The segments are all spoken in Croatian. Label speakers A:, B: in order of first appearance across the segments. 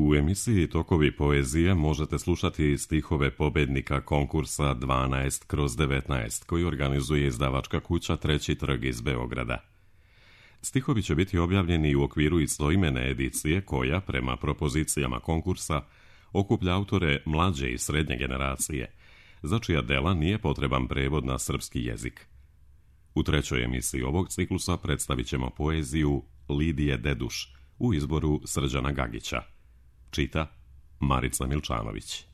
A: U emisiji Tokovi poezije možete slušati stihove pobednika konkursa 12/19 koji organizuje izdavačka kuća Treći trg iz Beograda. Stihovi će biti objavljeni u okviru istoimene edicije koja, prema propozicijama konkursa, okuplja autore mlađe i srednje generacije, za čija dela nije potreban prevod na srpski jezik. U trećoj emisiji ovog ciklusa predstavit ćemo poeziju Lidije Deduš u izboru Srđana Gagića. Čita Marica Milčanović.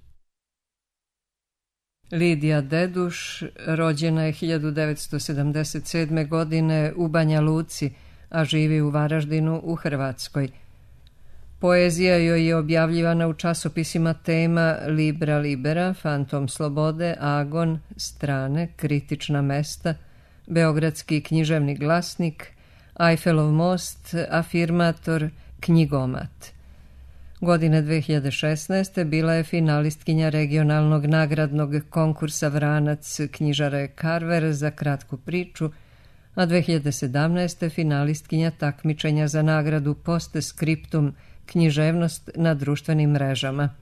B: Lidija Deduš rođena je 1977. godine u Banja Luci, a živi u Varaždinu u Hrvatskoj. Poezija joj je objavljivana u časopisima Tema, Libra Libera, Fantom Slobode, Agon, Strane, Kritična mesta, Beogradski književni glasnik, Ajfelov most, Afirmator, Knjigomat. Godine 2016. bila je finalistkinja regionalnog nagradnog konkursa Vranac knjižare Karver za kratku priču, a 2017. finalistkinja takmičenja za nagradu Post Scriptum književnost na društvenim mrežama.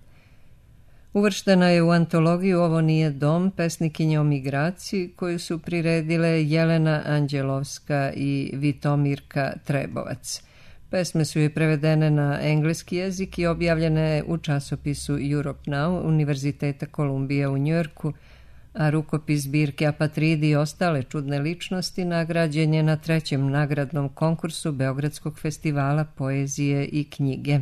B: Uvrštena je u antologiju Ovo nije dom, pesnikinje o migraciji, koju su priredile Jelena Anđelovska i Vitomirka Trebovac. Pesme su joj prevedene na engleski jezik i objavljene u časopisu Europe Now Univerziteta Kolumbije u Njujorku, a rukopis zbirke Apatridi i ostale čudne ličnosti nagrađen je na trećem nagradnom konkursu Beogradskog festivala poezije i knjige.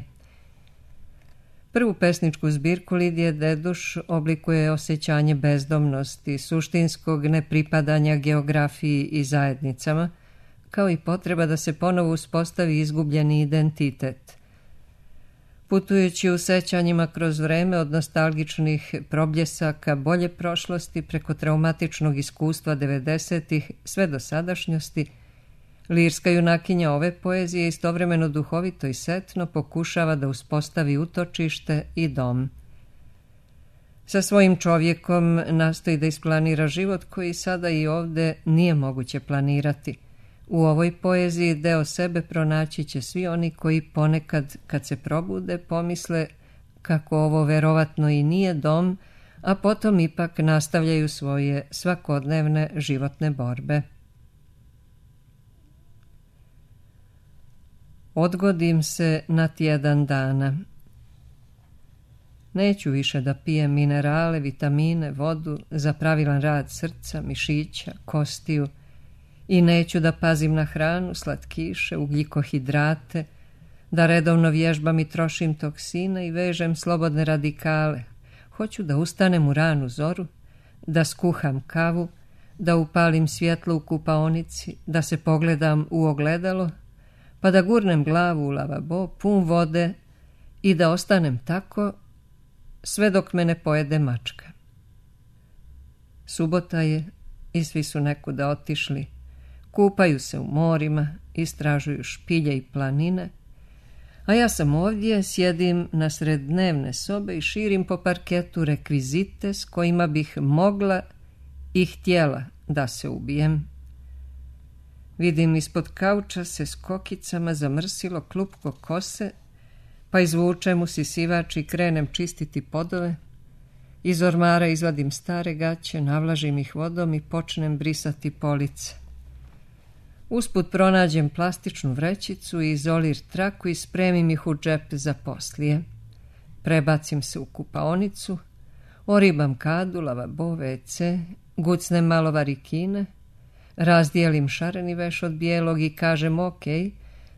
B: Prvu pesničku zbirku Lidije Deduš oblikuje osjećanje bezdomnosti, suštinskog nepripadanja geografiji i zajednicama, kao i potreba da se ponovo uspostavi izgubljeni identitet. Putujući u sećanjima kroz vreme od nostalgičnih probljesaka bolje prošlosti preko traumatičnog iskustva 90-ih sve do sadašnjosti, lirska junakinja ove poezije istovremeno duhovito i setno pokušava da uspostavi utočište i dom. Sa svojim čovjekom nastoji da isplanira život koji sada i ovde nije moguće planirati. U ovoj poeziji deo sebe pronaći će svi oni koji ponekad, kad se probude, pomisle kako ovo verovatno i nije dom, a potom ipak nastavljaju svoje svakodnevne životne borbe. Odgodim se na tjedan dana. Neću više da pijem minerale, vitamine, vodu za pravilan rad srca, mišića, kostiju, i neću da pazim na hranu, slatkiše, ugljikohidrate, da redovno vježbam i trošim toksine i vežem slobodne radikale. Hoću da ustanem u ranu zoru, da skuham kavu, da upalim svjetlo u kupaonici, da se pogledam u ogledalo, pa da gurnem glavu u lavabo, pun vode i da ostanem tako sve dok me ne pojede mačka. Subota je i svi su nekuda otišli. Kupaju se u morima, istražuju špilje i planine, a ja sam ovdje, sjedim nasred dnevne sobe i širim po parketu rekvizite s kojima bih mogla i htjela da se ubijem. Vidim ispod kauča se s kokicama zamrsilo klupko kose, pa izvučem usisivač i krenem čistiti podove. Iz ormara izvadim stare gaće, navlažim ih vodom i počnem brisati police. Usput pronađem plastičnu vrećicu i izolir traku i spremim ih u džep za poslije. Prebacim se u kupaonicu, oribam kadu, lavabo, WC, gucnem malo varikine, razdijelim šareni veš od bijelog i kažem ok,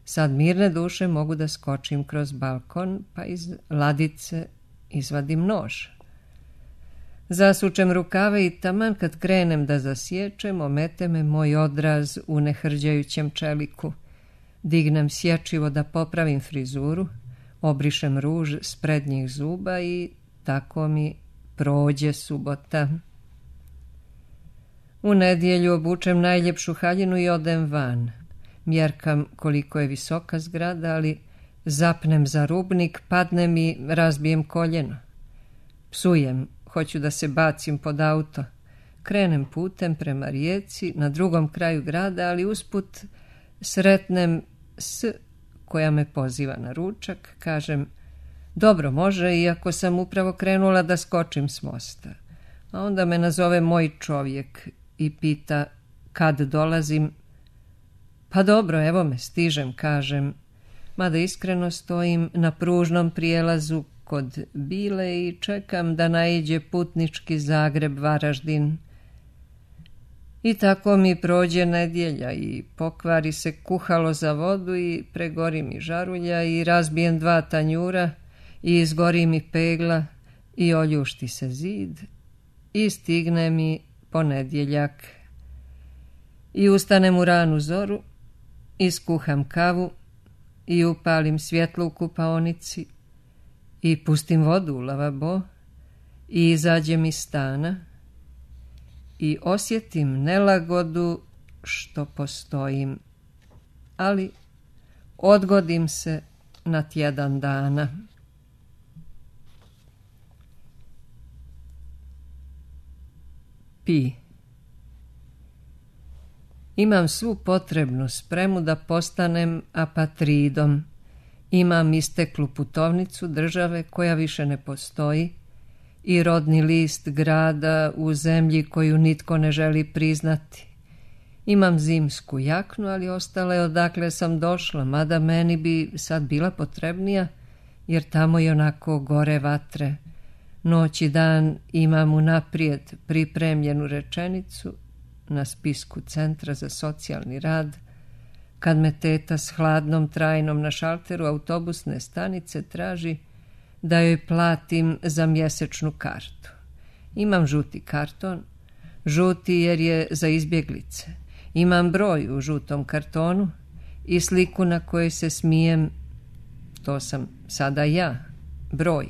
B: sad mirne duše mogu da skočim kroz balkon, pa iz ladice izvadim nož. Zasučem rukave i taman kad krenem da zasječem, omete me moj odraz u nehrđajućem čeliku. Dignem sječivo da popravim frizuru, obrišem ruž s prednjih zuba i tako mi prođe subota. U nedjelju obučem najljepšu haljinu i odem van. Mjerkam koliko je visoka zgrada, ali zapnem za rubnik, padnem i razbijem koljeno. Psujem, hoću da se bacim pod auto. Krenem putem prema rijeci na drugom kraju grada, ali usput sretnem S koja me poziva na ručak. Kažem, Dobro, može, iako sam upravo krenula da skočim s mosta. A onda me nazove moj čovjek i pita kad dolazim. Pa dobro, evo me, stižem, kažem, mada iskreno stojim na pružnom prijelazu kod Bile i čekam da naiđe putnički Zagreb-Varaždin. I tako mi prođe nedjelja i pokvari se kuhalo za vodu i pregori mi žarulja i razbijem 2 tanjura i izgori mi pegla i oljušti se zid i stigne mi ponedjeljak. I ustanem u ranu zoru, iskuham kavu i upalim svjetlo u kupaonici i pustim vodu u lavabo i izađem iz stana i osjetim nelagodu što postojim, ali odgodim se na tjedan dana. Pi. Imam svu potrebnu spremu da postanem apatridom. Imam isteklu putovnicu države koja više ne postoji i rodni list grada u zemlji koju nitko ne želi priznati. Imam zimsku jaknu, ali ostala je odakle sam došla, mada meni bi sad bila potrebnija, jer tamo i onako gore vatre. Noć i dan imam unaprijed pripremljenu rečenicu na spisku Centra za socijalni rad, kad me teta s hladnom trajnom na šalteru autobusne stanice traži da joj platim za mjesečnu kartu. Imam žuti karton, žuti jer je za izbjeglice. Imam broj u žutom kartonu i sliku na kojoj se smijem, to sam sada ja, broj.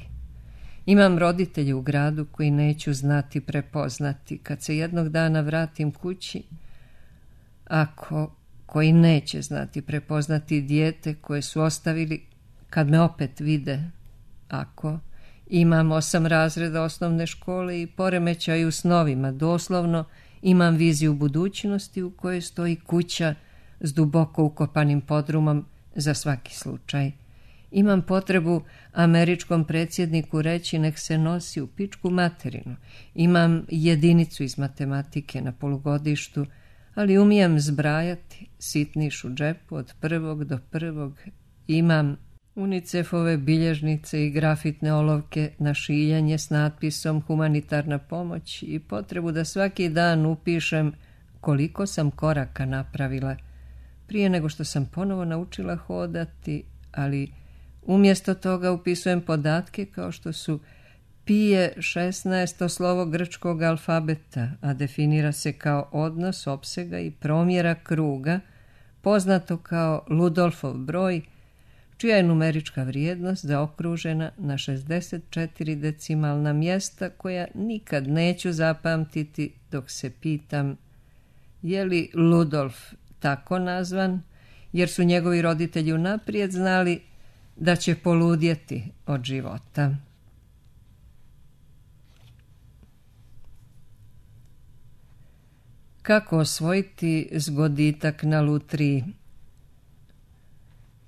B: Imam roditelje u gradu koji neću znati prepoznati kad se jednog dana vratim kući, koji neće znati prepoznati dijete koje su ostavili kad me opet vide. Imam 8 razreda osnovne škole i poremećaj u snovima, doslovno imam viziju budućnosti u kojoj stoji kuća s duboko ukopanim podrumom za svaki slučaj. Imam potrebu američkom predsjedniku reći nek se nosi u pičku materinu. Imam jedinicu iz matematike na polugodištu, ali umijem zbrajati, sitniš u džepu od 1. do 1. Imam UNICEF-ove bilježnice i grafitne olovke na šiljanje s natpisom humanitarna pomoć i potrebu da svaki dan upišem koliko sam koraka napravila prije nego što sam ponovo naučila hodati, ali umjesto toga upisujem podatke kao što su pi je 16. slovo grčkog alfabeta, a definira se kao odnos opsega i promjera kruga, poznato kao Ludolfov broj, čija je numerička vrijednost zaokružena na 64 decimalna mjesta koja nikad neću zapamtiti dok se pitam je li Ludolf tako nazvan, jer su njegovi roditelji unaprijed znali da će poludjeti od života. Kako osvojiti zgoditak na lutriji?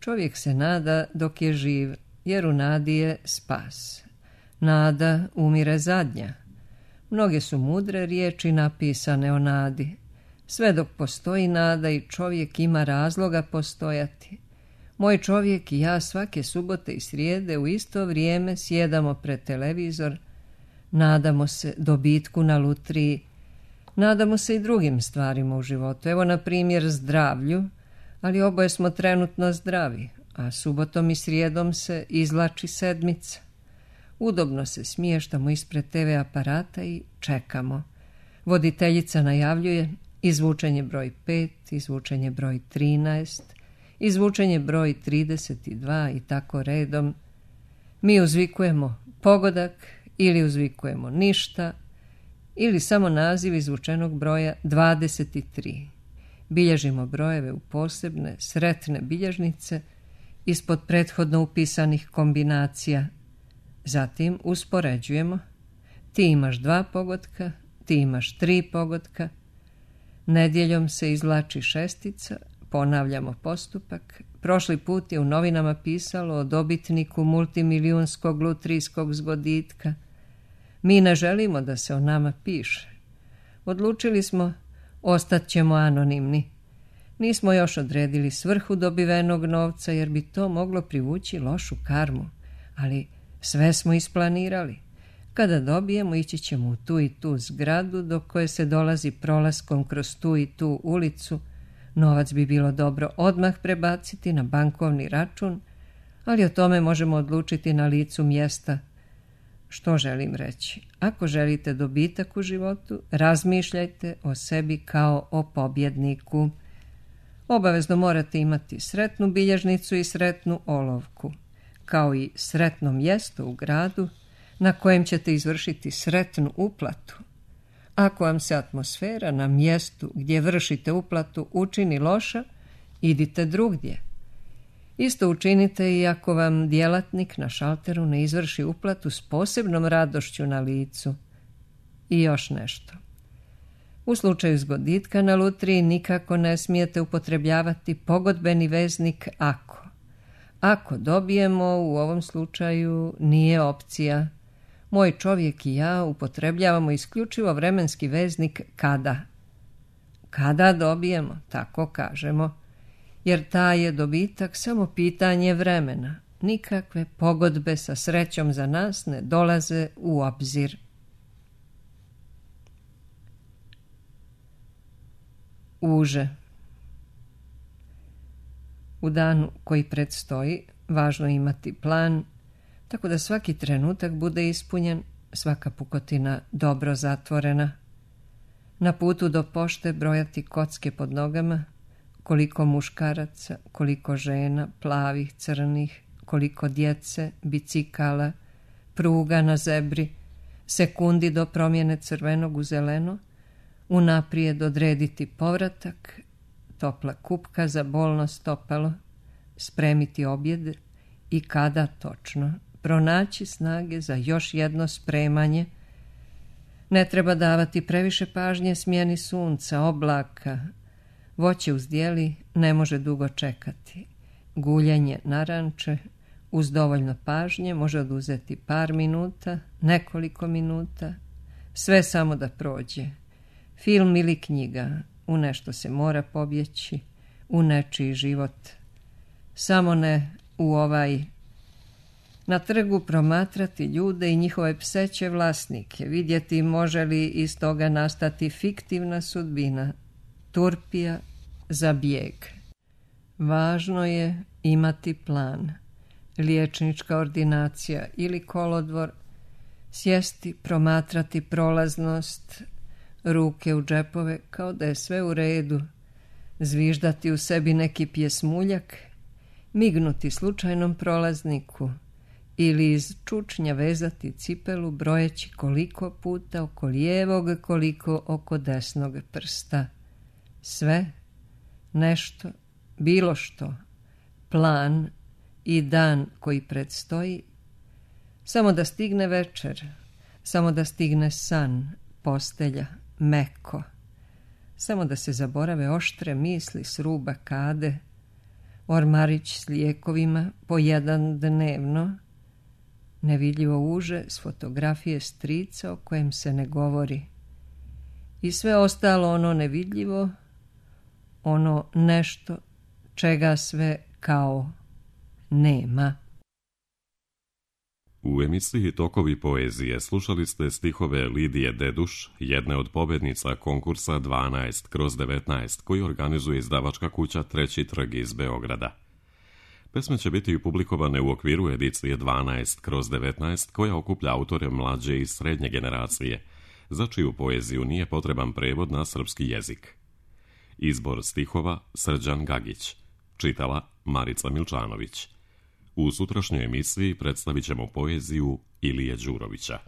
B: Čovjek se nada dok je živ, jer u nadi je spas. Nada umire zadnja. Mnoge su mudre riječi napisane o nadi. Sve dok postoji nada i čovjek ima razloga postojati. Moj čovjek i ja svake subote i srijede u isto vrijeme sjedamo pred televizor, nadamo se dobitku na lutriji, nadamo se i drugim stvarima u životu. Evo, na primjer, zdravlju, ali oboje smo trenutno zdravi, a subotom i srijedom se izvlači sedmica. Udobno se smještamo ispred TV aparata i čekamo. Voditeljica najavljuje izvučenje broj 5, izvučenje broj 13, izvučenje broj 32 i tako redom. Mi uzvikujemo pogodak ili uzvikujemo ništa ili samo naziv izvučenog broja 23. Bilježimo brojeve u posebne, sretne bilježnice ispod prethodno upisanih kombinacija. Zatim uspoređujemo. Ti imaš 2 pogotka, ti imaš 3 pogotka. Nedjeljom se izvlači šestica, ponavljamo postupak. Prošli put je u novinama pisalo o dobitniku multimilijunskog lutrijskog zgoditka. Mi ne želimo da se o nama piše. Odlučili smo, ostat ćemo anonimni. Nismo još odredili svrhu dobivenog novca jer bi to moglo privući lošu karmu, ali sve smo isplanirali. Kada dobijemo, ići ćemo u tu i tu zgradu do koje se dolazi prolaskom kroz tu i tu ulicu. Novac bi bilo dobro odmah prebaciti na bankovni račun, ali o tome možemo odlučiti na licu mjesta. Što želim reći? Ako želite dobitak u životu, razmišljajte o sebi kao o pobjedniku. Obavezno morate imati sretnu bilježnicu i sretnu olovku, kao i sretno mjesto u gradu na kojem ćete izvršiti sretnu uplatu. Ako vam se atmosfera na mjestu gdje vršite uplatu učini loša, idite drugdje. Isto učinite i ako vam djelatnik na šalteru ne izvrši uplatu s posebnom radošću na licu. I još nešto. U slučaju zgoditka na lutriji nikako ne smijete upotrebljavati pogodbeni veznik ako. Ako dobijemo, u ovom slučaju nije opcija. Moj čovjek i ja upotrebljavamo isključivo vremenski veznik kada. Kada dobijemo, tako kažemo, jer taj je dobitak samo pitanje vremena. Nikakve pogodbe sa srećom za nas ne dolaze u obzir. Uže. U danu koji predstoji, važno je imati plan, tako da svaki trenutak bude ispunjen, svaka pukotina dobro zatvorena. Na putu do pošte brojati kocke pod nogama, koliko muškaraca, koliko žena, plavih, crnih, koliko djece, bicikala, pruga na zebri, sekundi do promjene crvenog u zeleno, unaprijed odrediti povratak, topla kupka za bolno stopalo, spremiti objed i kada točno, pronaći snage za još jedno spremanje. Ne treba davati previše pažnje smjeni sunca, oblaka. Voće uzdjeli ne može dugo čekati. Guljenje naranče uz dovoljno pažnje može oduzeti par minuta, nekoliko minuta, sve samo da prođe. Film ili knjiga, u nešto se mora pobjeći, u nečiji život. Samo ne u ovaj. Na trgu promatrati ljude i njihove pseće vlasnike, vidjeti može li iz toga nastati fiktivna sudbina, turpija za bijeg. Važno je imati plan, liječnička ordinacija ili kolodvor, sjesti, promatrati prolaznost, ruke u džepove kao da je sve u redu, zviždati u sebi neki pjesmuljak, mignuti slučajnom prolazniku ili iz čučnja vezati cipelu brojeći koliko puta oko lijevog, koliko oko desnog prsta. Sve, nešto, bilo što, plan i dan koji predstoji, samo da stigne večer, samo da stigne san, postelja, meko, samo da se zaborave oštre misli s ruba kade, ormarić s lijekovima po jedan dnevno, nevidljivo uže s fotografije strica o kojem se ne govori i sve ostalo ono nevidljivo, ono nešto čega sve kao nema.
A: U emisiji Tokovi poezije slušali ste stihove Lidije Deduš, jedne od pobjednica konkursa 12/19 koji organizuje izdavačka kuća Treći trg iz Beograda. Pesme će biti publikovane u okviru edicije 12/19 koja okuplja autore mlađe i srednje generacije, za čiju poeziju nije potreban prevod na srpski jezik. Izbor stihova Srđan Gagić, čitala Marica Milčanović. U sutrašnjoj emisiji predstavit ćemo poeziju Ilije Đurovića.